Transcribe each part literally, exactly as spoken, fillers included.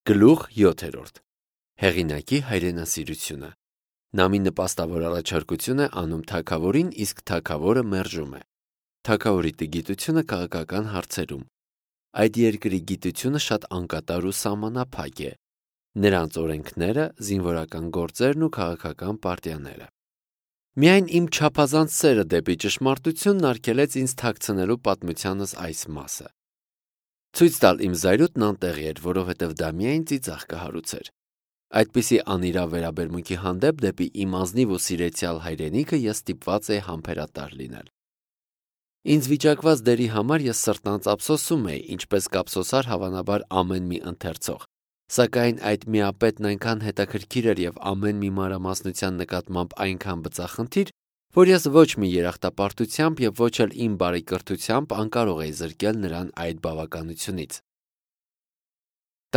Գլուխ յոթերորդ. Հեղինակի հայրենասիրությունը։ Նամի նպաստավոր առաջարկություն է անում թագավորին, իսկ թագավորը մերժում է։ Թագավորի տգիտությունը քաղաքական հարցերում։ Այդ երկրի գիտությունը շատ անկատար ու սահմանափակ է։ Նրանց օրենքները, զինվորական գործերն ու քաղաքական պարտիաները։ Միայն իմ չափազանց սերը դեպի ճշմարտությունն արգելեց ինձ թաքցնելու պատմությանս այս մասը։ Ցույց տալ իմ զայրույթն անտեղի էր, որովհետև դա միայն ծիծաղ կհարուցեր։ Այդպիսի անիրավ վերաբերմունքի հանդեպ դեպի իմ ազնիվ ու սիրեցյալ հայրենիքը ես ստիպված էի համբերատար լինել։ Ինձ վիճակված դերի համար ես սրտանց ափսոսում էի, ինչպես կափսոսար հավանաբար ամեն մի ընթերցող, սակայն այդ միապետն այնքան հետաքրքիր էր եւ ամեն մի մանրամասնության նկատմամբ այնքան բծախնդիր, որ ես ոչ մի երախտապարտությամբ եւ ոչ էլ իմ բարեկրթությամբ անկարող էի զրկել նրան այդ բավականությունից։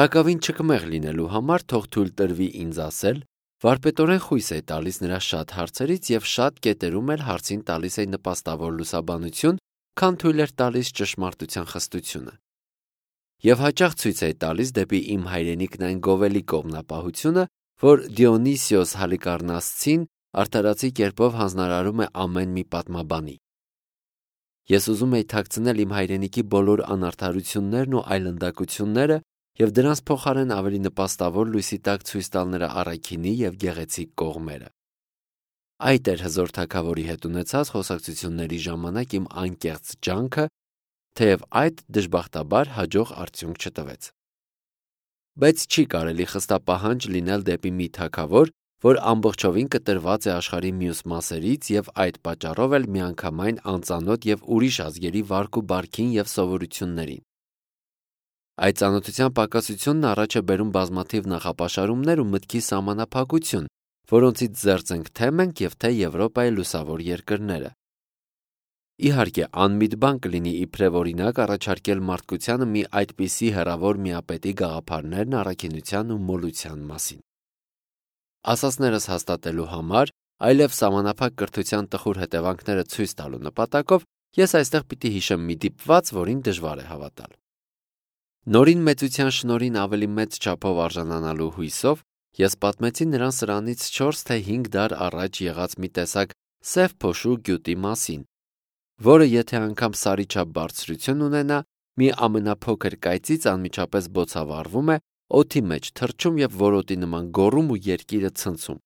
Տակավին չկմեղ լինելու համար թող թույլ տրվի ինձ ասել, վարպետորեն խույս է տալիս նրա շատ հարցերից եւ շատ կետերում էլ հարցին տալիս է նպաստավոր լուսաբանություն, քան թույլ էր տալիս ճշմարտության խստությունը։ Եվ հաճախ ցույց է տալիս դեպի իմ հայրենիքն այն գովելի կողմնապահությունը, որ Դիոնիսիոս Հալիկառնասցին արդարացի կերպով հանձնարարում է ամեն մի պատմաբանի։ Ես ուզում էի թաքցնել իմ հայրենիքի բոլոր անարդարություններն ու այլանդակությունները եւ դրանց փոխարեն ավելի նպաստավոր լույսի տակ ցույց տալ նրա առաքինի եւ գեղեցիկ կողմերը։ Այդ էր հզոր թագավորի հետ ունեցած խոսակցությունների ժամանակ իմ անկեղծ ջանքը, թեև այդ դժբախտաբար հաջող արդյունք չտվեց։ Բայց չի կարելի խստապահանջ լինել դեպի մի թագավոր, որ ամբողջովին կտրված է աշխարհի մյուս մասերից եւ այդ պատճառով էլ միանգամայն անծանոթ եւ ուրիշ ազգերի վարք ու բարքին եւ սովորություններին։ Այդ ծանոթության պակասությունն առաջ է բերում բազմաթիվ նախապաշարումներ ու մտքի սահմանափակություն, որոնցից զերծ ենք թե մենք եւ թե Եվրոպայի լուսավոր երկրները։ Իհարկե, անմիտ բան կլինի իբրև օրինակ առաջարկել մարդկությանը մի այդպիսի հեռավոր միապետի գաղափարներն առաքինության ու մոլության մասին։ Ասածներս հաստատելու համար, այլև սահմանափակ կրթության տխուր հետևանքները ցույց տալու նպատակով, ես այստեղ պիտի հիշեմ մի դիպված, որին դժվար է հավատալ։ Նորին մեծության շնորհին ավելի մեծ չափով արժանանալու հույսով ես պատմեցի նրան սրանից չորս թե հինգ դար առաջ եղած մի տեսակ սև փոշու գյուտի մասին, որը եթե անգամ սարի չափ բարձրություն ունենա, մի ամենափոքր կայծից անմիջապես բոցավառվում է, օդի մեջ թռչում եւ որոտի նման գոռում ու երկիրը ցնցում։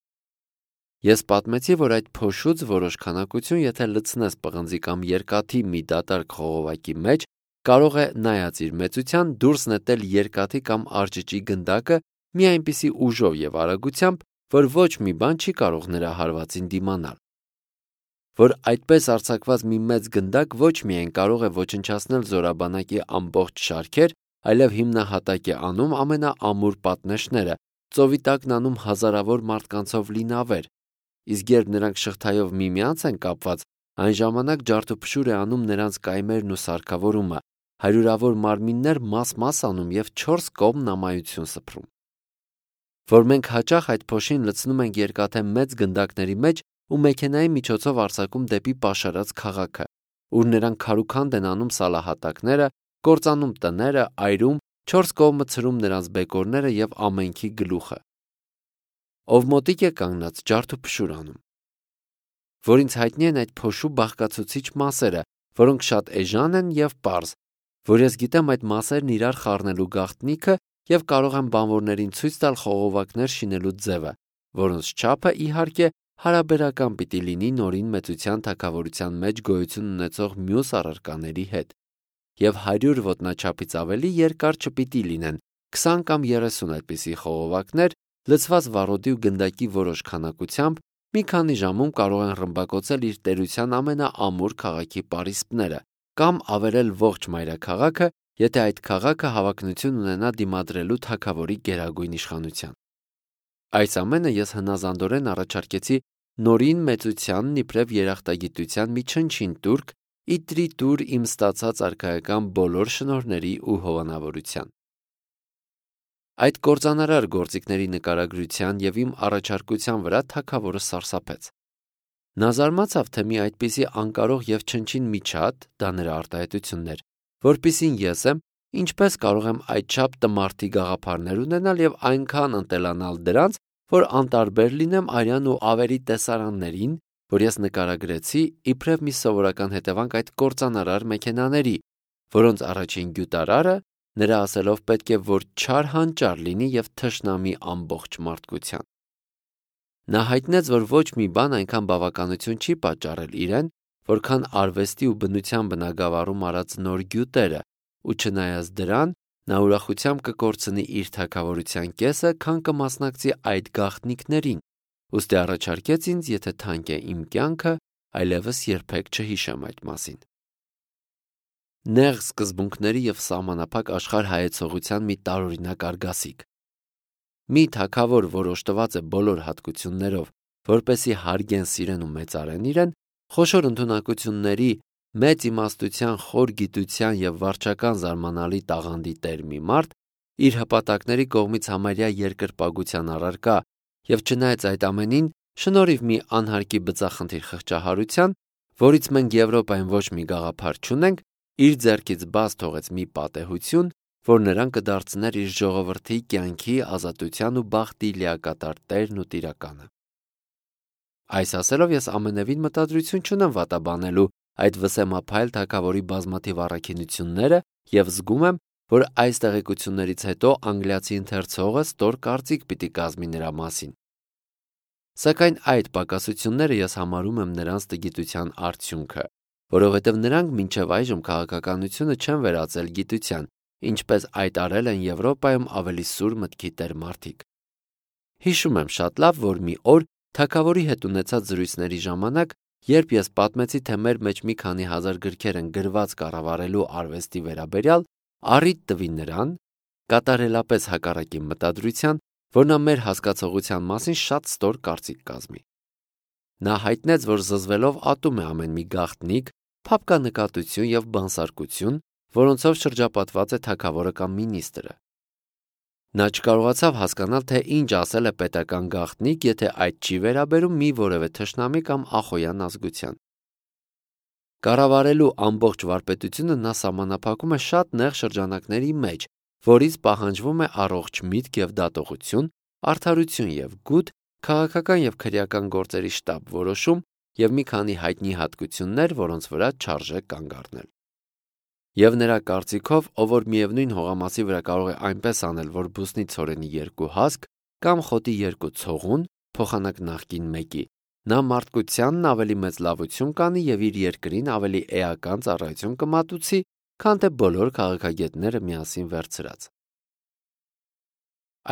Ես պատմեցի, որ այդ փոշուց որոշ քանակություն, եթե լցնես պղնձի կամ երկաթի մի դատարկ խողովակի մեջ, կարող է նայած իր մեծության դուրս նետել երկաթի կամ արճճի գնդակը մի այնպիսի ուժով եւ արագությամբ, որ ոչ մի բան չի կարող նրա հարվածին դիմանալ։ Որ այդպես արձակված մի մեծ գնդակ ոչ միայն կարող է ոչնչացնել զորաբանակի ամբողջ շարքեր, այլև հիմնահատակ է անում ամենաամուր պատնեշները, ծովի տակն անում հազարավոր մարդկանցով լի նավեր, իսկ երբ նրանք շղթայով միմյանց են կապված, այն ժամանակ ջարդուփշուր է անում նրանց կայմերն ու սարքավորումը, հարյուրավոր մարմիններ մաս-մաս անում եւ չորս կողմ նամայություն սփռում։ Որ մենք հաճախ այդ փոշին լցնում ենք երկաթե մեծ գնդակների մեջ ու մեքենայի միջոցով արձակում դեպի պաշարած քաղաքը, ուր նրանք քարուքանդ են անում սալահատակները, կործանում տները, այրում, չորս կողմը ցրում նրանց բեկորները եւ ամենքի գլուխը։ Ով մոտիկ է կանգնած ջարդուփշուր անում։ Որ ինձ հայտնի են այդ փոշու բաղկացուցիչ մասերը, որոնք շատ էժան են եւ պարզ, որ ես գիտեմ այդ մասերն իրար խառնելու գաղտնիքը եւ կարող եմ բանվորներին ցույց տալ խողովակներ շինելու ձևը, որոնց չափը իհարկե հարաբերական պիտի լինի նորին մեծության թագավորության մեջ գոյություն ունեցող մյուս առարկաների հետ, եւ հարյուր ոտնաչափից ավելի երկար չպիտի լինեն, քսան կամ երեսուն այդպիսի խողովակներ, լցված վառոդի ու գնդակի որոշ քանակությամբ, մի քանի ժամում կարող են ռմբակոծել իր տերության ամենաամուր քաղաքի պարիսպները, կամ ավերել ողջ մայրաքաղաքը, եթե այդ քաղաքը հավակնություն ունենա դիմադրելու թագավորի գերագույն իշխանության։ Այս ամենը ես հնազանդորեն առաջարկեցի նորին մեծությանն իբրև երախտագիտության մի չնչին տուրք, իտրի տուր իմ ստացած արքայական բոլոր շնորհների ու հովանավորության։ Այդ կործանարար գործիքների նկարագրության եւ իմ առաջարկության վրա թագավորը սարսափեց։ Նա զարմացավ, թե մի այդպիսի անկարող եւ չնչին միջատ, դա նրա արտահայտությունն էր, որպիսին ես եմ, ինչպես կարող եմ այդչափ տմարդի գաղափարներ ունենալ եւ այնքան ընտելանալ դրանց, որ անտարբեր լինեմ արյան ու ավերի տեսարաններին, որ ես նկարագրեցի իբրև մի սովորական հետևանք այդ կործանարար մեքենաների, որոնց առաջին գյուտարարը նրա ասելով պետք է որ չար հանճար լինի եւ թշնամի ամբողջ մարդկության։ Նա հայտնեց, որ ոչ մի բան այնքան բավականություն չի պատճառել իրեն, որքան արվեստի ու բնության բնագավառում արած նոր գյուտերը, ու չնայած դրան, նա ուրախությամբ կկորցնի իր թագավորության կեսը, քան կմասնակցի այդ գաղտնիքներին, ուստի առաջարկեց ինձ, եթե թանկ է իմ կյանքը, այլևս երբեք չհիշեմ այդ մասին։ Նեղ սկզբունքների եւ սահմանափակ աշխարհ հայեցողության մի տարօրինակ արգասիկ։ Մի թագավոր, որ օժտված է բոլոր հատկություններով, որպեսի հարգեն, սիրեն ու մեծարեն իրեն, խոշոր ընդունակությունների, մեծ իմաստության, խոր գիտության եւ վարչական զարմանալի տաղանդի տեր մի մարդ, իր հպատակների կողմից համարյա երկրպագության առարկա եւ չնայած այդ ամենին, շնորհիվ մի անհարկի բծախնդիր խղճահարության, որից մենք Եվրոպայում ոչ մի գաղափար չունենք, իր ձեռքից բաց թողեց մի պատեհություն, որ նրան կդարձներ իր ժողովրդի կյանքի, ազատության ու բախտի լիակատար տերն ու տիրականը։ Այս ասելով ես ամենևին մտադրություն չունեմ վատաբանելու այդ վսեմափայլ թագավորի բազմաթիվ առաքինությունները եւ զգում եմ, որ այս տեղեկություններից հետո անգլիացի ընթերցողը ստոր կարծիք պիտի կազմի նրա մասին։ Սակայն այդ պակասությունները ես համարում եմ նրանց տգիտության արդյունքը, որովհետև նրանք մինչև այժմ քաղաքականությունը չեն վերածել գիտության, ինչպես այդ արել են Եվրոպայում ավելի սուր մտքի տեր մարդիկ։ Հիշում եմ շատ լավ, որ մի օր թագավորի հետ ունեցած զրույցների ժամանակ, երբ ես պատմեցի, թե մեր մեջ մի քանի հազար գրքեր են գրված կառավարելու արվեստի վերաբերյալ, առիթ տվի նրան, կատարելապես հակառակի մտադրության, որ նա մեր հասկացողության մասին շատ ստոր կարծիք կազմի։ Նա հայտնեց, որ զզվելով ատում է ամեն մի գաղտնիք, փափկանկատություն եւ բանսարկություն, որոնցով շրջապատված է թագավորը կամ մինիստրը։ Նա չկարողացավ հասկանալ, թե ինչ ասել է պետական գաղտնիք, եթե այդ չի վերաբերում մի որևէ թշնամի կամ ախոյան ազգության։ Կառավարելու ամբողջ վարպետությունը նա սահմանափակում է շատ նեղ շրջանակների մեջ, որից պահանջվում է առողջ միտք եւ դատողություն, արդարություն եւ գութ, քաղաքական եւ քրեական գործերի շտապ որոշում եւ մի քանի հայտնի հատկություններ, որոնց վրա չարժե կանգ առնել։ Եվ նրա կարծիքով, ով որ միևնույն հողամասի վրա կարող է այնպես անել, որ բուսնի ցորենի երկու հասկ կամ խոտի երկու ցողուն, փոխանակ նախկին մեկի, նա մարդկությանն ավելի մեծ լավություն կանի եւ իր երկրին ավելի էական ծառայություն կմատուցի, քան թե բոլոր քաղաքագետները միասին վերցրած։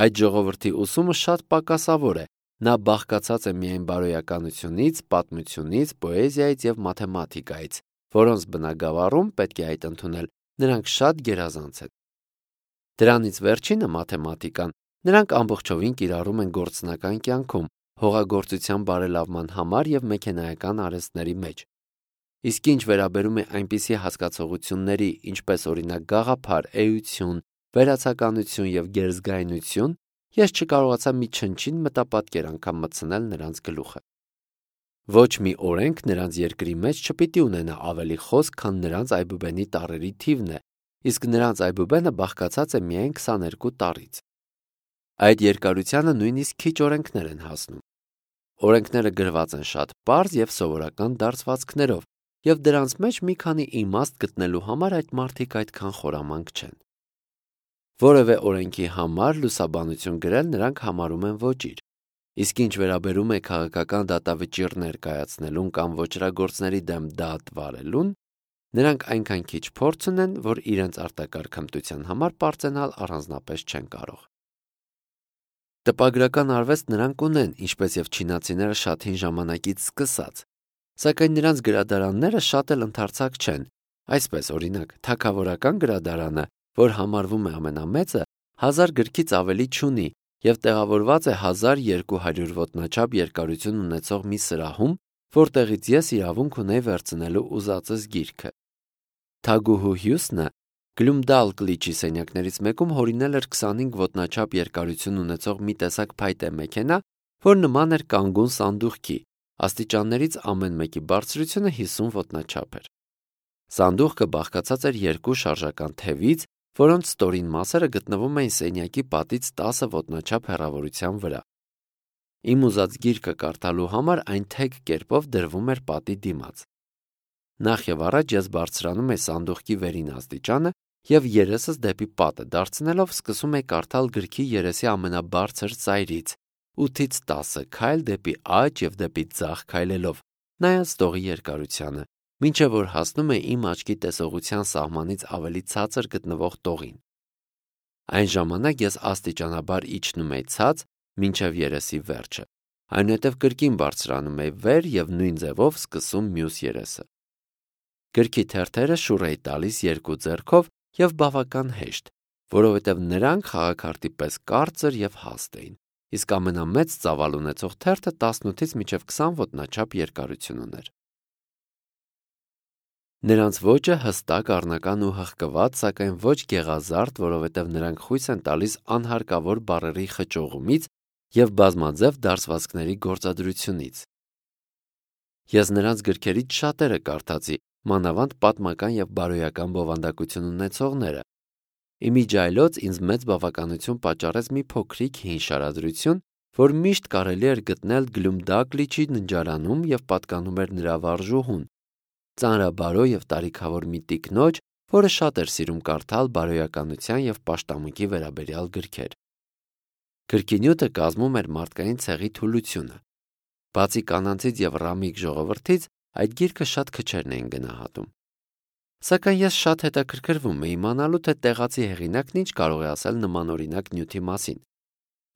Այդ ժողովրդի ուսումը շատ պակասավոր է, նա բաղկացած է միայն բարոյականությունից, պատմությունից, պոեզիայից եւ մաթեմատիկայից, որոնց բնագավառում պետք է այդ ընդունել, նրանք շատ գերազանց են։ Դրանից վերջինը մաթեմատիկան, նրանք ամբողջովին կիրառում են գործնական կյանքում, հողագործության բարելավման համար եւ մեքենայական արհեստների մեջ։ Իսկ ինչ վերաբերում է այնպիսի հասկացողությունների, ինչպես օրինակ գաղափար, էություն, վերացականություն եւ գերզգայնություն, ես չկարողացա մի չնչին մտապատկեր անգամ մտցնել նրանց գլուխը։ Ոչ մի օրենք նրանց երկրի մեջ չպիտի ունենա ավելի խոսք, քան նրանց այբուբենի տառերի թիվն է, իսկ նրանց այբուբենը բաղկացած է միայն քսաներկու տառից։ Այդ երկարությանը նույնիսկ քիչ օրենքներ են հասնում։ Օրենքները գրված են շատ պարզ եւ սովորական դարձվածքներով, եւ դրանց մեջ մի քանի իմաստ գտնելու համար այդ մարդիկ այդքան խորամանկ չեն։ Որևէ օրենքի համար լուսաբանություն գրել նրանք համարում են ոճիր, իսկ ինչ վերաբերում է քաղաքական դատավճիռներ կայացնելուն կամ ոճրագործների դեմ դատ վարելուն, նրանք այնքան քիչ փորձ ունեն, որ իրենց արտակարգ հմտության համար պարծենալ առանձնապես չեն կարող։ Տպագրական արվեստ նրանք ունեն, ինչպես եւ չինացիները շատ հին ժամանակից սկսած, սակայն նրանց գրադարանները շատ էլ ընդարձակ չեն, այսպես օրինակ թագավորական գրադարանը, որ համարվում է ամենամեծը, հազար գրքից ավելի չունի եւ տեղավորված է հազար երկու հարյուր ոտնաչափ երկարություն ունեցող մի սրահում, որտեղից ես իրավունք ունեի վերցնելու ուզածս գիրքը։ Թագուհու Հյուսնը Գլումդալկլիչի սենյակներից մեկում հորինել էր քսանհինգ ոտնաչափ երկարություն ունեցող մի տեսակ փայտե մեքենա, որ նման էր կանգուն սանդուղքի, աստիճաններից ամեն մեկի բարձրությունը հիսուն ոտնաչափ էր։ Սանդուղքը բաղկացած էր երկու շարժական թևից որոնց ստորին մասերը գտնվում էին սենյակի պատից տասը ոտնաչափ հեռավորության վրա։ Իմ ուզած գիրքը կարդալու համար այն թեք կերպով դրվում էր պատի դիմաց։ Նախ եւ առաջ ես բարձրանում էի սանդուղքի վերին աստիճանը եւ երեսս դեպի պատը դարձնելով սկսում էի կարդալ գրքի երեսի ամենաբարձր ծայրից, ութից տասը քայլ դեպի աջ եւ դեպի ձախ քայլելով, նայած տողի երկարությանը, մինչեւ որ հասնում էի իմ աչքի տեսողության սահմանից ավելի ցածր գտնվող տողին։ Այն ժամանակ ես աստիճանաբար իջնում էի ցած մինչեւ երեսի վերջը, այնուհետեւ կրկին բարձրանում էի վեր եւ նույն ձևով սկսում մյուս երեսը։ Գրքի թերթերը շուռ էի տալիս երկու ձեռքով եւ բավական հեշտ, որովհետեւ նրանք խաղաքարտի պես կարծր եւ հաստ էին, իսկ ամենամեծ ծավալ ունեցող թերթը տասնութից մինչեւ քսան ոտնաչափ երկարություն ուներ։ Նրանց ոճը հստակ, առնական ու հղկված, սակայն ոչ գեղազարդ, որովհետեւ նրանք խույս են տալիս անհարկավոր բառերի խճողումից եւ բազմաձև դարսվածքների գործադրությունից։ Ես նրանց գրքերից շատերը կարդացի, մանավանդ պատմական եւ բարոյական բովանդակություն ունեցողները։ Իմիջայլոց ինձ մեծ բավականություն պատճառեց մի փոքրիկ հին շարադրություն, որ միշտ կարելի էր գտնել Գլումդակլիչի ննջարանում եւ պատկանում էր նրա վարժուհուն, ծանրաբարո եւ տարիքավոր մի տիկնոջ, որը շատ էր սիրում կարդալ բարոյականության եւ պաշտամունքի վերաբերյալ գրքեր։ Գրքի նյութը կազմում էր մարդկային ցեղի թուլությունը։ Բացի կանանցից եւ ռամիկ ժողովրդից, այդ գիրքը շատ քչերն էին գնահատում։ Սակայն ես շատ հետաքրքրվում էի իմանալու, թե տեղացի հեղինակն ինչ կարող է ասել նմանօրինակ նյութի մասին։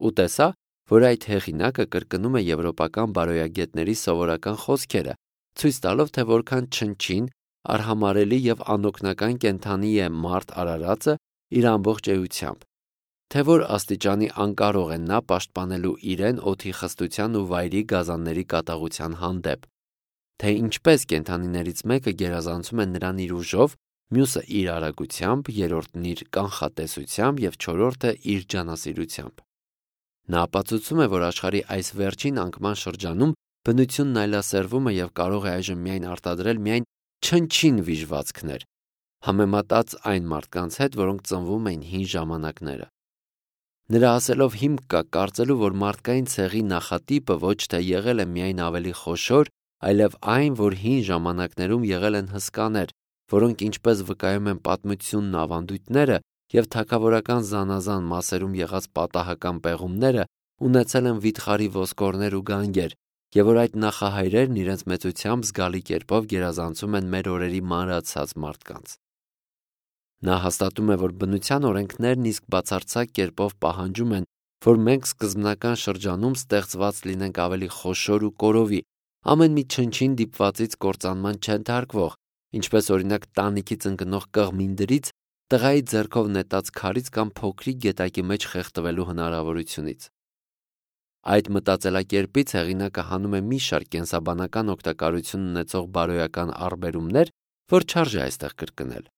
Ու տեսա, որ այդ հեղինակը կրկնում է եվրոպական բարոյագետների սովորական խոսքերը, ցույց տալով, թե որքան չնչին, արհամարելի եւ անօգնական կենդանի է մարդ արարածը իր ամբողջ էությամբ, թե որ աստիճանի անկարող է նա պաշտպանելու իրեն օդի խստության ու վայրի գազանների կատաղության հանդեպ, թե ինչպես կենդանիներից մեկը գերազանցում է նրան իր ուժով, մյուսը իր արագությամբ, երրորդն իր կանխատեսությամբ եւ չորրորդը իր ջանասիրությամբ։ Նա ապացուցում է, որ աշխարհի այս վերջին անկման շրջանում բնությունն այլասերվում է եւ կարող է այժմ միայն արտադրել միայն չնչին վիժվածքներ, համեմատած այն մարդկանց հետ, որոնք ծնվում էին հին ժամանակները։ Նրա ասելով հիմք կա կարծելու, որ մարդկային ցեղի նախատիպը ոչ թե եղել է միայն ավելի խոշոր, այլև այն, որ հին ժամանակներում եղել են հսկաներ, որոնք ինչպես վկայում են պատմությունն ու ավանդույթները եւ թագավորական զանազան մասերում եղած պատահական պեղումները, ունեցել են վիթխարի ոսկորներ ու գանգեր, եւ որ այդ նախահայրերն իրենց մեծությամբ զգալի կերպով գերազանցում են մեր օրերի մանրացած մարդկանց։ Նա հաստատում է, որ բնության օրենքներն իսկ բացարձակ կերպով պահանջում են, որ մենք սկզբնական շրջանում ստեղծված լինենք ավելի խոշոր ու կորովի, ամեն մի չնչին դիպվածից կործանման չենթարկվող, ինչպես օրինակ տանիքից ընկնող կղմինդրից, տղայի ձեռքով նետած քարից կամ փոքրիկ գետակի մեջ խեղդվելու հնարավորությունից։ Այդ մտածելակերպից հեղինակը հանում է մի շարք կենսաբանական օգտակարություն ունեցող բարոյական առբերումներ, որ չարժե այստեղ կրկնել։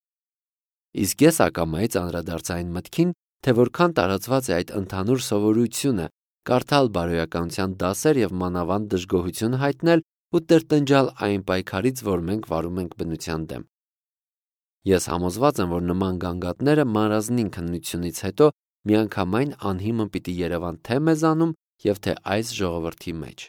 Իսկ ես ակամայից անդրադարձա այն մտքին, թե որքան տարածված է այդ ընդհանուր սովորությունը կարդալ բարոյականության դասեր եւ մանավանդ դժգոհություն հայտնել ու տրտնջալ այն պայքարից, որ մենք վարում ենք բնության դեմ։ Ես համոզված եմ, որ նման գանգատները մանրազնին քննությունից հետո միանգամայն անհիմն պիտի երևան թե մեզանում եւ թե այս ժողովրդի մեջ։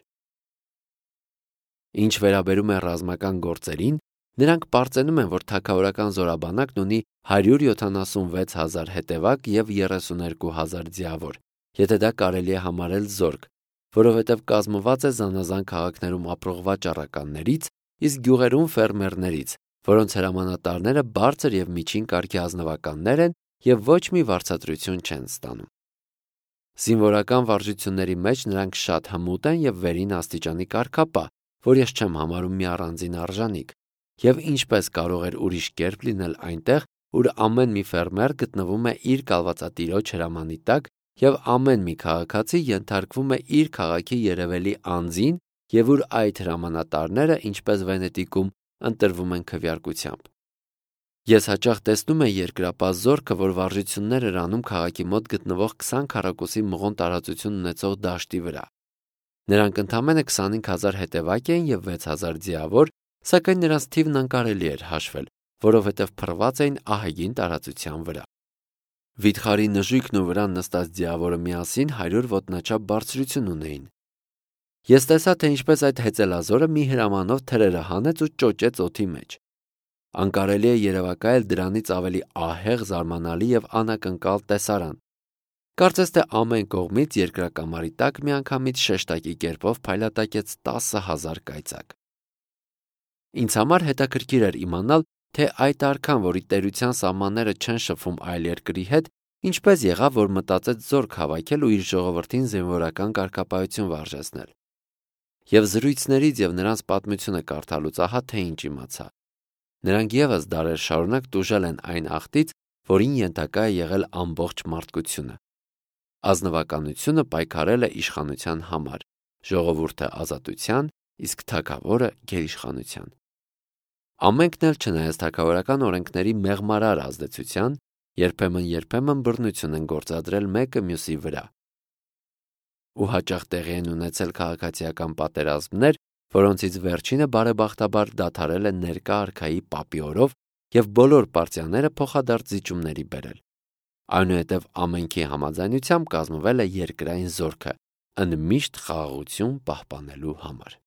Ինչ վերաբերում է ռազմական գործերին, նրանք պարծենում են, որ թագավորական զորաբանակն ունի հարյուր յոթանասունվեց հազար հետևակ եւ երեսուներկու հազար ձիավոր, եթե դա կարելի է համարել զորք, որովհետև կազմված է զանազան քաղաքներում ապրող վաճառականներից, իսկ գյուղերում ֆերմերներից, որոնց հրամանատարները բարձր եւ միջին կարգի ազնվականներ են եւ ոչ մի վարձատրություն չեն ստանում։ Զինվորական վարժությունների մեջ նրանք շատ հմուտ են եւ վերին աստիճանի կարգապահ, որ ես չեմ համարում մի առանձին արժանիք, եւ ինչպես կարող էր ուրիշ կերպ լինել այնտեղ, ուր ամեն մի ֆերմեր գտնվում է իր կալվածատիրոջ հրամանի տակ եւ ամեն մի քաղաքացի ենթարկվում է իր քաղաքի երևելի անձին եւ ուր այդ հրամանատարները, ինչպես Վենետիկում, ընտրվում են քվեարկությամբ։ Ես հաճախ տեսնում եմ երկրապահ զորքը, որ վարժություններ էր անում քաղաքի մոտ գտնվող քսան քառակուսի մղոն տարածություն ունեցող դաշտի վրա։ Նրանք ընդամենը քսանհինգ հազար հետևակ էին եւ վեց հազար ձիավոր, սակայն նրանց թիվն անկարելի էր հաշվել, որովհետեւ փռված էին ահագին տարածության վրա։ Վիթխարի նժույգն ու վրան նստած ձիավորը միասին հարյուր ոտնաչափ բարձրություն ունեին։ Ես տեսա, թե ինչպես այդ հեծելազորը մի հրամանով թրերը հանեց ու ճոճեց օդի մեջ։ Անկարելի է երևակայել դրանից ավելի ահեղ, զարմանալի եւ անակնկալ տեսարան։ Կարծես թե ամեն կողմից երկրակամարի տակ միանգամից շեշտակի կերպով փայլատակեց տասը հազար կայծակ։ Ինձ համար հետաքրքիր էր իմանալ, թե այդ արքան, որի տերության սահմանները չեն շփվում այլ երկրի հետ, ինչպես եղավ, որ մտածեց զորք հավաքել ու իր ժողովրդին զինվորական կարգապահություն վարժեցնել։ Եվ զրույցներից եւ նրանց պատմությունը կարդալուց ահա թե ինչ իմացա։ Նրանք եւս դարեր շարունակ տուժել են այն աղտից, որին ենթակա է եղել ամբողջ մարդկությունը։ Ազնվականությունը պայքարել է իշխանության համար, ժողովուրդը ազատության, իսկ թագավորը գերիշխանության։ Ամենքն էլ չնայած թագավորական օրենքների մեղմարար ազդեցության, երբեմն-երբեմն բռնություն են գործադրել մեկը մյուսի վրա։ Ու հաճախ տեղի են ունեցել քաղաքացիական պատերազմներ, որոնցից վերջինը բարեբախտաբար դադարել է ներկա արքայի պապի օրով եւ բոլոր պարտիաները փոխադարձ զիջումների բերել։ Այնուհետև ամենքի համաձայնությամբ կազմվել է երկրային զորքը, ընդմիշտ խաղաղություն պահպանելու համար։